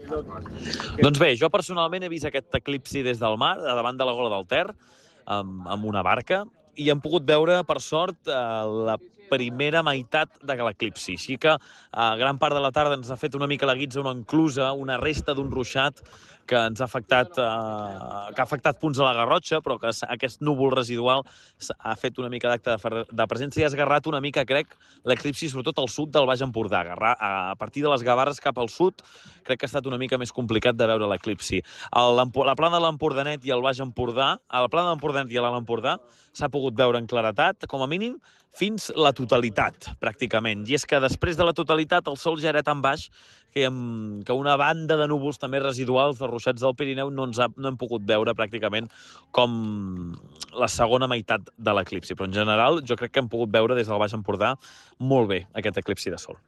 Doncs bé, jo personalment he vist aquest eclipsi des del mar, a davant de la Gola del Ter, amb una barca, i hem pogut veure, per sort, la primera meitat de l'eclipsi. Així que gran part de la tarda ens ha fet una mica la guitza, una enclusa, una resta d'un ruixat que ens ha afectat, que ha afectat punts de la Garrotxa, però que aquest núvol residual ha fet una mica d'acte de presència i ha esgarrat una mica, crec, l'eclipsi, sobretot al sud del Baix Empordà. A partir de les Gavarres cap al sud, crec que ha estat una mica més complicat de veure l'eclipsi. La plana de l'Empordanet i el Baix Empordà, a la plana de l'Empordanet i a l'Alt Empordà, s'ha pogut veure en claretat, com a mínim, fins la totalitat, pràcticament. I és que després de la totalitat el sol ja era tan baix que una banda de núvols també residuals de ruixats del Pirineu no hem pogut veure pràcticament com la segona meitat de l'eclipsi. Però en general jo crec que hem pogut veure des del Baix Empordà molt bé aquest eclipsi de sol.